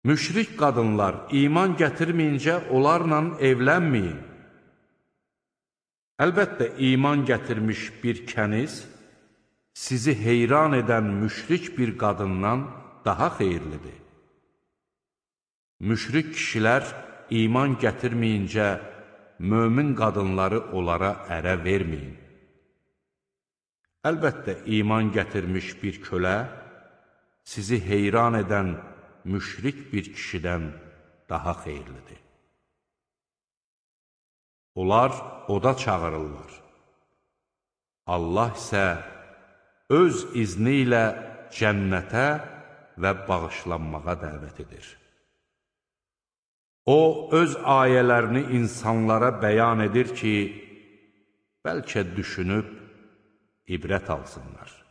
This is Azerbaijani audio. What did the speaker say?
Müşrik qadınlar iman gətirməyincə onlarla evlənməyin. Əlbəttə, iman gətirmiş bir kəniz sizi heyran edən müşrik bir qadından daha xeyirlidir. Müşrik kişilər iman gətirməyincə mömin qadınları onlara ərə verməyin. Əlbəttə, iman gətirmiş bir kölə sizi heyran edən müşrik bir kişidən daha xeyirlidir. Onlar oda çağırırlar. Allah isə öz izni ilə cənnətə və bağışlanmağa dəvət edir. O, öz ayələrini insanlara bəyan edir ki, bəlkə düşünüb ibrət alsınlar.